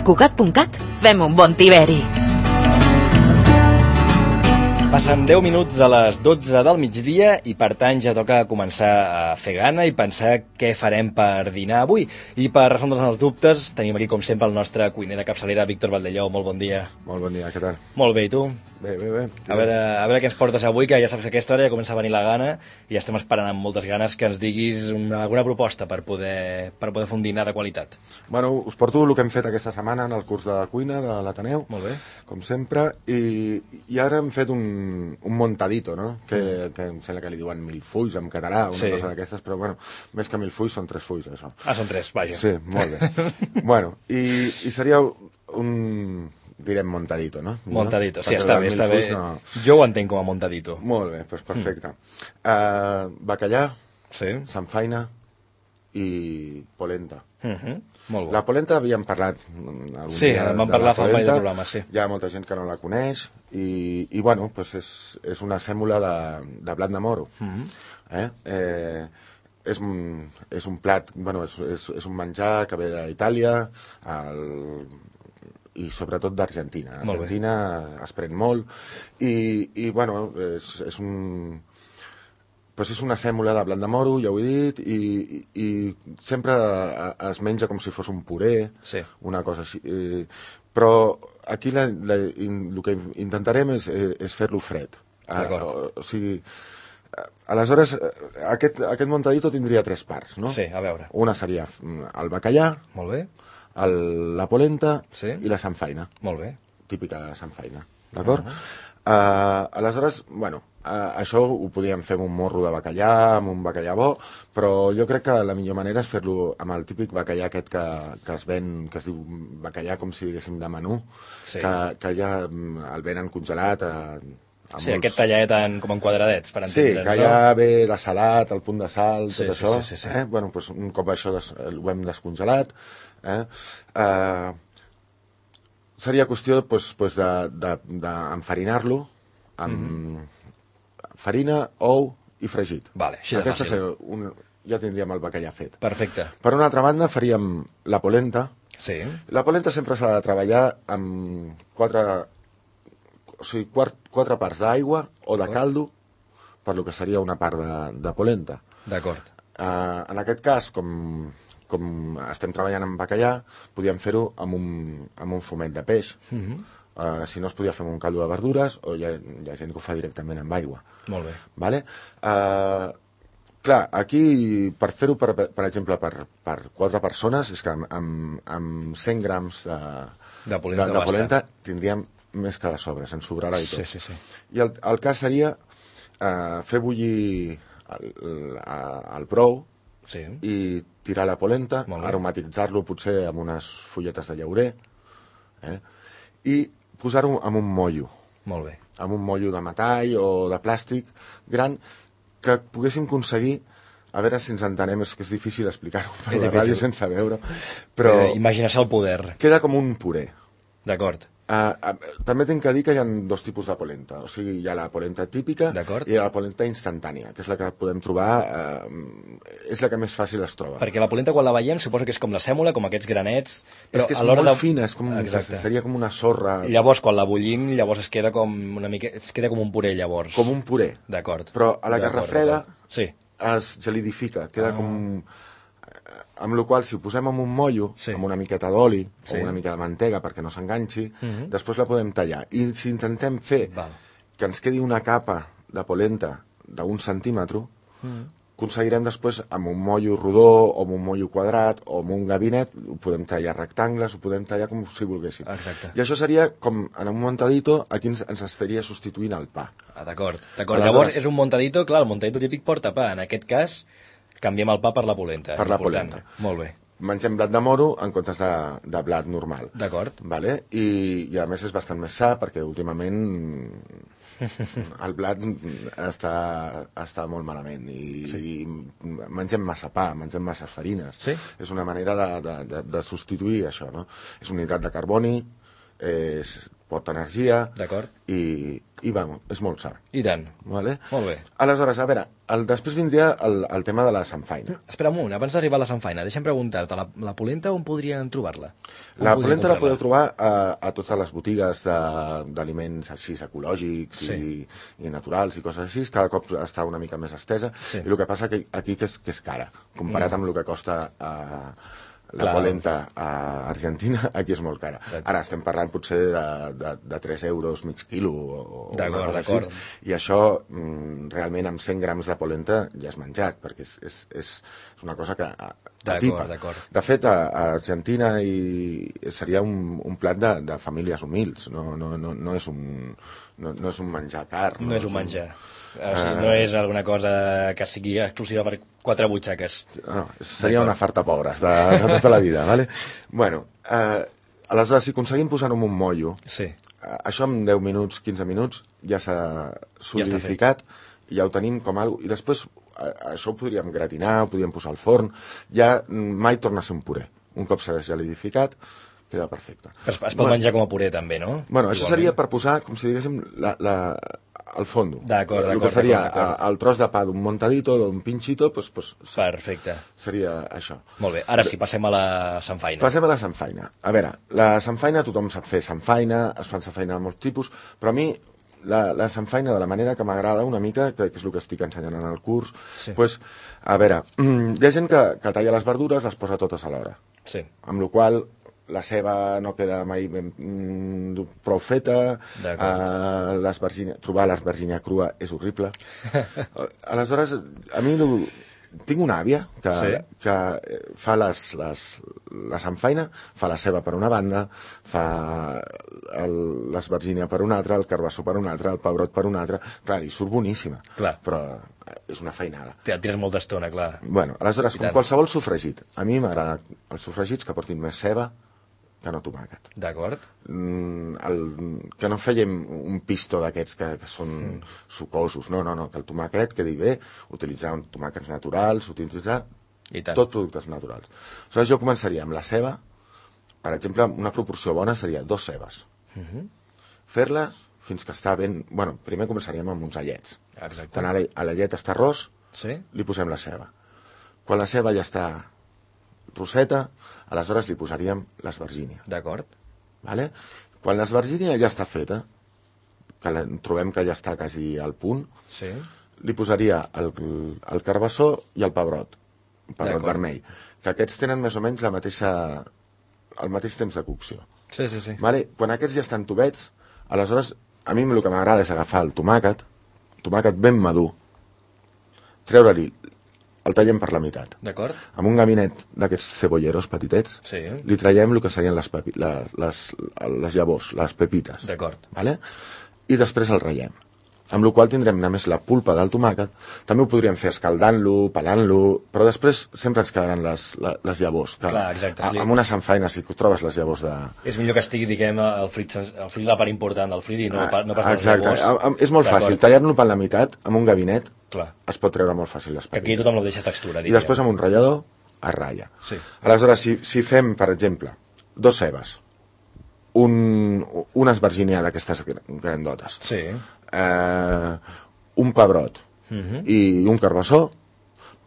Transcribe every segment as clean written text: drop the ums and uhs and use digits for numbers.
A Cugat.cat fem un bon tiberi. Passen 10 minuts a les 12 del migdia i per tant ja toca començar a fer gana i pensar què farem per dinar avui. I per resoldre'ns els dubtes tenim aquí com sempre el nostre cuiner de capçalera, Víctor Valdelló. Molt bon dia. Molt bon dia, què tal? Molt bé, i tu? Bé. A veure què ens portes avui, que ja saps que a aquesta hora ja comença a venir la gana i ja estem esperant amb moltes ganes que ens diguis alguna proposta per poder fer un dinar de qualitat. Bueno, us porto el que hem fet aquesta setmana en el curs de cuina de l'Ateneu, Molt bé. com sempre, i ara hem fet un montadito, no? Que em sembla que li diuen milfulls en català, una cosa d'aquestes, però bueno, més que milfulls són 3 fulls, això. Ah, són 3, vaja. Sí, molt bé. Bueno, i seria direm montadito, no? Montadito, sí, està bé. No... Jo ho entenc com a montadito. Molt bé, doncs perfecte. Bacallà, sí. samfaina i polenta. Molt bo. La polenta havíem parlat algun dia en vam parlar fa un parell de programes, sí. Hi ha molta gent que no la coneix i bueno, pues és una sèmola de blat de moro. És un plat, bueno, és un menjar que ve d'Itàlia i sobretot d'Argentina. Argentina es pren molt i bueno, és una sèmola de blat de moro, ja ho he dit, i sempre es menja com si fos un puré, una cosa així. Però aquí el que intentarem és fer-lo fred. O sigui, aleshores, aquest montadito tindria 3 parts, no? Sí, a veure. Una seria el bacallà, molt bé, la polenta i la samfaina. Molt bé. Típica samfaina, d'acord? Aleshores, bueno, això ho podíem fer amb un morro de bacallà, amb un bacallà bo, però jo crec que la millor manera és fer-lo amb el típic bacallà aquest que es ven, que es diu bacallà com si diguéssim de menú, que ja el venen congelat sí, aquest tallat com en quadradets, per entendre's. Sí, que ja ve de salat, el punt de sal, tot això. Sí. Bueno, doncs un cop això ho hem descongelat, seria qüestió d'enfarinar-lo amb farina, ou i fregit. Vale, així de fàcil. Ja tindríem el bacallà fet. Perfecte. Per una altra banda faríem la polenta. Sí. La polenta sempre s'ha de treballar amb 4 parts d'aigua o de caldo per lo que seria una part de polenta. D'acord. En aquest cas, com estem treballant amb bacallà, podíem fer-ho amb un fumet de peix. Si no, es podia fer amb un caldo de verdures, o hi ha gent que ho fa directament amb aigua. Molt bé. Vale? Clar, aquí, per fer-ho, per exemple, per 4 persones, és que amb 100 grams de polenta tindríem més que de sobre, se'n sobrarà i tot. Sí. I el cas seria fer bullir el brou i tirar la polenta, aromatitzar-lo potser amb unes fulletes de llaurer i posar-ho en un mollo. Molt bé. Amb un mollo de metall o de plàstic gran que poguéssim aconseguir, a veure si ens entenem, és que és difícil explicar-ho per la ràdio sense veure, però imagina-se el poder. Queda com un puré. D'acord. També tinc que dir que hi ha 2 tipus de polenta. O sigui, hi ha la polenta típica i la polenta instantània, que és la que podem trobar, és la que més fàcil es troba. Perquè la polenta, quan la veiem, suposo que és com la sèmola, com aquests granets. És que és molt fina, seria com una sorra. I llavors, quan la bullim, llavors es queda com una mica, es queda com un puré, llavors. Com un puré. D'acord. Però a la que refreda es gelidifica, queda com... Amb la qual cosa, si ho posem en un mollo, amb una miqueta d'oli o una mica de mantega perquè no s'enganxi, després la podem tallar. I si intentem fer que ens quedi una capa de polenta d'1 centímetre, aconseguirem després amb un mollo rodó o amb un mollo quadrat o amb un gabinet, ho podem tallar rectangles, ho podem tallar com si volguéssim. Exacte. I això seria com en un montadito, aquí ens estaria substituint el pa. D'acord. Llavors és un montadito, clar, el montadito típic porta pa, en aquest cas canviem el pa per la polenta. Per la polenta. Molt bé. Mengem blat de moro en comptes de blat normal. D'acord. Vale? I a més és bastant més sa perquè últimament el blat està molt malament i mengem massa pa, mengem massa farines. És una manera de substituir això, no? És un hidrat de carboni, porta energia. D'acord. I bueno, és molt sa. I tant. Vale? Molt bé. Aleshores, a veure, després vindria el tema de la samfaina. Espera un moment, abans d'arribar a la samfaina, deixa'm preguntar-te, la polenta on podrien trobar-la? La polenta la podeu trobar a totes les botigues d'aliments així ecològics i naturals i coses així. Cada cop està una mica més estesa. I el que passa aquí que és cara, comparat amb el que costa la polenta a Argentina, aquí és molt cara. Ara estem parlant potser de 3 euros mig quilo o d'acord. I això realment amb 100 grams de polenta ja és menjat, perquè és una cosa que t'atipa. De fet, a Argentina seria un plat de famílies humils, no és un menjar car. No és un menjar. O sigui, no és alguna cosa que sigui exclusiva per 4 butxaques. No, seria una farta pobres de tota la vida, ¿vale? Bueno, aleshores, si aconseguim posar-ho en un mollo, això en 10 minuts, 15 minuts, ja s'ha solidificat, ja ho tenim com algo, i després això ho podríem gratinar, ho podríem posar al forn, ja mai torna a ser un puré. Un cop s'ha solidificat, queda perfecte. Es pot menjar com a puré també, no? Bueno, això seria per posar, com si diguéssim, al fondo. D'acord. El que seria el tros de pa d'un montadito, d'un pinchito, doncs perfecte. Seria això. Molt bé, ara sí, passem a la samfaina. Passem a la samfaina. A veure, la samfaina, tothom sap fer samfaina, es fan samfaina de molts tipus, però a mi la samfaina, de la manera que m'agrada una mica, que és el que estic ensenyant en el curs, doncs, a veure, hi ha gent que talla les verdures, les posa totes alhora. Sí. Amb la qual cosa la ceba no queda mai prou feta, trobar l'esvergínia crua és horrible. Aleshores, a mi tinc una àvia que fa la samfaina, fa la ceba per una banda, fa l'esvergínia per una altra, el carbassó per una altra, el pebrot per una altra. Clar, i surt boníssima, però és una feinada. Et tires molta estona, clar. Bueno, aleshores, com qualsevol sofregit, a mi m'agrada els sofregits que portin més ceba que no tomàquet. D'acord. Que no fèiem un pisto d'aquests que són sucosos, no, que el tomàquet quedi bé, utilitzar tomàquets naturals, utilitzar tot productes naturals. Aleshores jo començaria amb la ceba, per exemple, una proporció bona seria 2 cebes. Fer-les fins que està ben... Bueno, primer començaríem amb uns allets. Quan la llet està ros, li posem la ceba. Quan la ceba ja està roseta, aleshores li posaríem l'esvergínia. D'acord. Vale? Quan l'esvergínia ja està feta, que trobem que ja està quasi al punt, li posaria el carbassó i el pebrot vermell, que aquests tenen més o menys el mateix temps de cocció. Vale? Quan aquests ja estan tubets, aleshores a mi el que m'agrada és agafar el tomàquet ben madur, treure-li, el tallem per la meitat. D'acord. Amb un gabinet d'aquests cebolleros petitets, li traiem el que serien les llavors, les pepites. D'acord. Vale? I després el ratllem. Amb la qual tindrem només la pulpa del tomàquet. També ho podríem fer escaldant-lo, pelant-lo, però després sempre ens quedaran les llavors. Clar, exacte. Amb una samfaina, si trobes les llavors de... És millor que estigui, diguem, el fruit la part important del fruit i no pas les llavors. Exacte. És molt fàcil. Tallar-lo per la meitat, amb un gabinet, es pot treure molt fàcil les pepites. Que aquí tothom no deixa textura. I després amb un ratllador es ratlla. Aleshores, si fem, per exemple, 2 cebes, una esvergínia d'aquestes grandotes, un pebrot i un carbassó,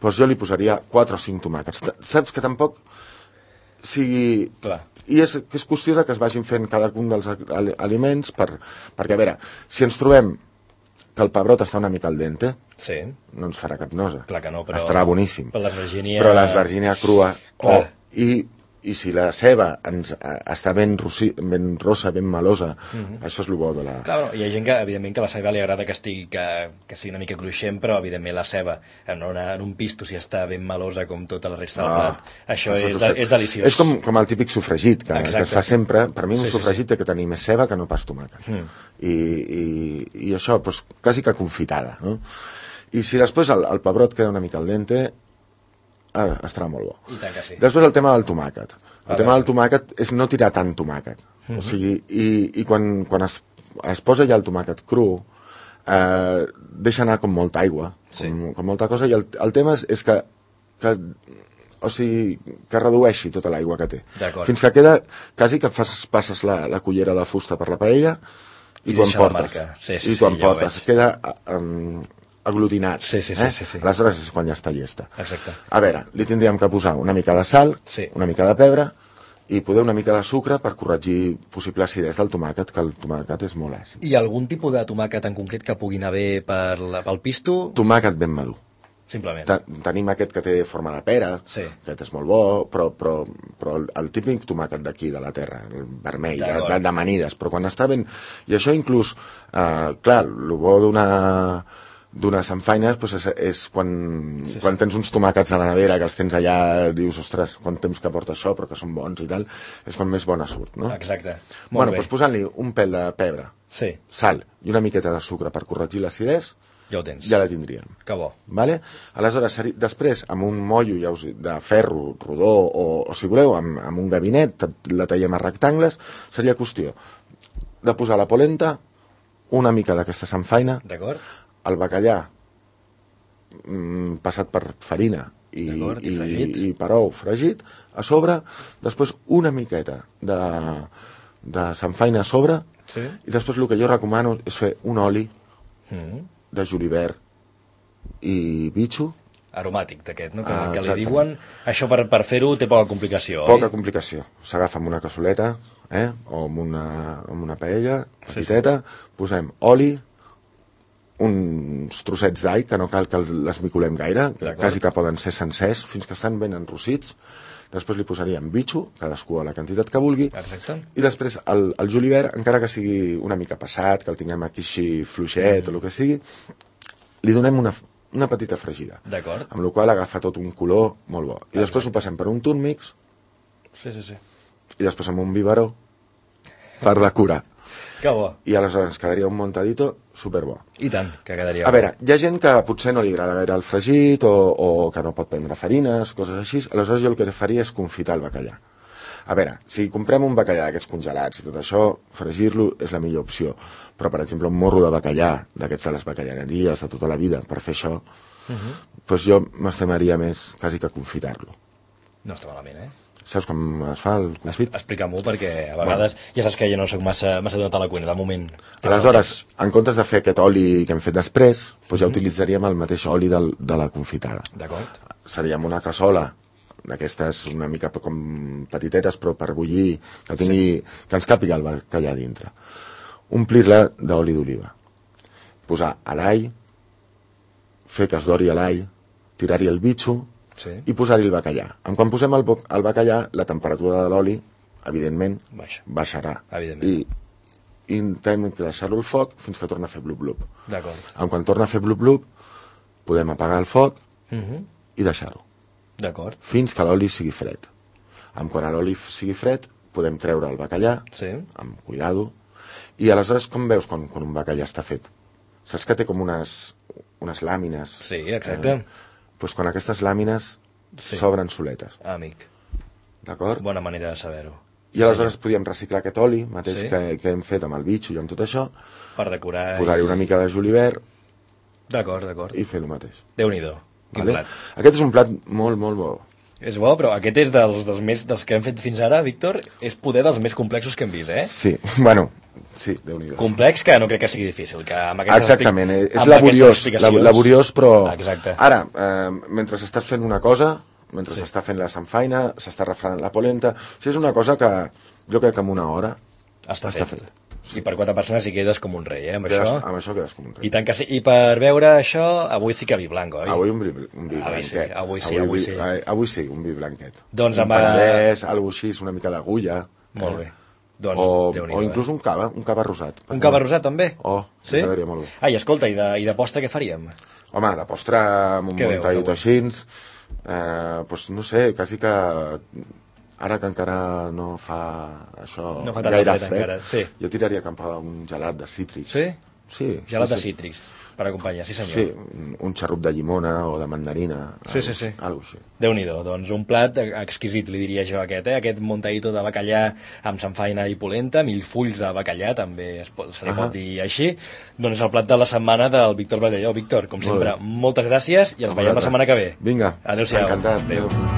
doncs jo li posaria 4 o 5 tomàquets. Saps que tampoc sigui... I és qüestió que es vagin fent cadascun dels aliments perquè, a veure, si ens trobem que el pebrot està una mica al dente, no ens farà cap nosa. Clar que no, però... Estarà boníssim. Però l'esvergínia crua... I si la ceba està ben rossa, ben melosa, això és el bo de la... Clar, hi ha gent que, evidentment, que la ceba li agrada que sigui una mica cruixent, però, evidentment, la ceba, en un pisto, si està ben melosa com tota la resta del plat, això és deliciós. És com el típic sofregit, que es fa sempre. Per mi un sofregit té que tenir més ceba que no pas tomàquet. I això, quasi que confitada, no? I si després el pebrot queda una mica al dente, estarà molt bo. I tant que sí. Després el tema del tomàquet. El tema del tomàquet és no tirar tant tomàquet. O sigui, i quan es posa ja el tomàquet cru, deixa anar com molta aigua, com molta cosa, i el tema és que o sigui, que redueixi tota l'aigua que té. D'acord. Fins que queda, quasi que passes la cullera de fusta per la paella i t'ho emportes. I t'ho emportes. Queda aglutinat. Sí. Aleshores és quan ja està llesta. Exacte. A veure, li tindríem que posar una mica de sal, una mica de pebre, i poder una mica de sucre per corregir possible acidesa del tomàquet, que el tomàquet és molt àcid. I algun tipus de tomàquet en concret que pugui anar bé pel pisto? Tomàquet ben madur. Simplement. Tenim aquest que té forma de pera, aquest és molt bo, però el típic tomàquet d'aquí, de la terra, el vermell, d'amanides, però quan està ben... I això inclús, clar, el bo d'una samfaina és quan tens uns tomàquets a la nevera que els tens allà, dius, ostres, quant temps que porta això, però que són bons i tal, és quan més bona surt, no? Exacte. Bueno, doncs posant-li un pèl de pebre, sal i una miqueta de sucre per corregir l'acidesa, ja ho tens. Ja la tindríem. Que bo. Vale? Aleshores, després, amb un mollo de ferro rodó o si voleu, amb un gabinet, la tallem a rectangles, seria qüestió de posar la polenta, una mica d'aquesta samfaina, el bacallà passat per farina i per ou fregit, a sobre, després una miqueta de samfaina a sobre, i després el que jo recomano és fer un oli de julivert i bitxo. Aromàtic d'aquest, no? Que li diuen. Això per fer-ho té poca complicació, oi? Poca complicació. S'agafa amb una cassoleta, o amb una paella petiteta, posem oli, uns trossets d'all, que no cal que l'esmicolem gaire, quasi que poden ser sencers, fins que estan ben enrossits. Després li posaríem bitxo, cadascú a la quantitat que vulgui, i després el julivert, encara que sigui una mica passat, que el tinguem aquí així fluixet o el que sigui, li donem una petita fregida, amb la qual agafa tot un color molt bo. I després ho passem per un túnmix, i després amb un biberó, per decorar. Que bo. I aleshores ens quedaria un montadito superbo. I tant, que quedaria bo. A veure, hi ha gent que potser no li agrada gaire el fregit o que no pot prendre farines, coses així, aleshores jo el que faria és confitar el bacallà. A veure, si comprem un bacallà d'aquests congelats i tot això, fregir-lo és la millor opció. Però, per exemple, un morro de bacallà, d'aquests de les bacallaneries de tota la vida, per fer això, doncs jo m'estimaria més quasi que confitar-lo. No està malament, Saps com es fa el confit? Explica-m'ho, perquè a vegades ja saps que jo no soc massa donat a la cuina, de moment. Aleshores, en comptes de fer aquest oli que hem fet després, doncs ja utilitzaríem el mateix oli de la confitada. D'acord. Seríem una cassola d'aquestes una mica com petitetes, però per bullir, que ens càpiga el bacallà dintre. Omplir-la d'oli d'oliva. Posar a l'all, fer que es dori a l'all, tirar-hi el bitxo, i posar-hi el bacallà. Quan posem el bacallà, la temperatura de l'oli, evidentment, baixarà. I intentem deixar-lo al foc fins que torna a fer blup-blup. Quan torna a fer blup-blup, podem apagar el foc i deixar-ho. Fins que l'oli sigui fred. Quan l'oli sigui fred, podem treure el bacallà, amb cuidado, i aleshores com veus quan un bacallà està fet? Saps que té com unes làmines? Sí, exacte. Doncs quan aquestes làmines s'obren soletes. Amic. D'acord? Bona manera de saber-ho. I aleshores podíem reciclar aquest oli mateix que hem fet amb el bitxo i amb tot això, per decorar, posar-hi una mica de julivert, d'acord, i fer el mateix. Déu-n'hi-do, quin plat. Aquest és un plat molt, molt bo. És bo, però aquest és dels que hem fet fins ara, Víctor, és poder dels més complexos que hem vist, Sí, bueno, sí, Déu-n'hi-do. Complex que no crec que sigui difícil. Exactament, és laboriós, però... Ara, mentre estàs fent una cosa, mentre s'està fent la samfaina, s'està refredant la polenta, és una cosa que jo crec que en una hora està fet. I per 4 persones hi quedes com un rei, amb això quedes com un rei. I tant que sí. I per veure això, avui sí que vi blanc, oi? Avui un vi blanquet. Avui sí, un vi blanquet. Doncs un penedès, alguna així, una mica d'agulla. Molt bé. O inclús un cava rosat. Un cava rosat, també? Sí? M'agradaria molt bé. Ai, escolta, i de postre què faríem? Home, de postre amb un muntadit així, doncs no sé, quasi que... Ara que encara no fa això gaire fred, jo tiraria cap a un gelat de cítrics. Sí? Gelat de cítrics, per acompanyar, sí senyor. Sí, un xarrup de llimona o de mandarina, alguna cosa així. Déu-n'hi-do, doncs un plat exquisit, li diria jo aquest muntadito de bacallà amb samfaina i polenta, millfulls de bacallà, també se li pot dir així. Doncs és el plat de la setmana del Víctor Badelló. Víctor, com sempre, moltes gràcies i ens veiem la setmana que ve. Vinga, adéu-siau. Encantat. Adéu.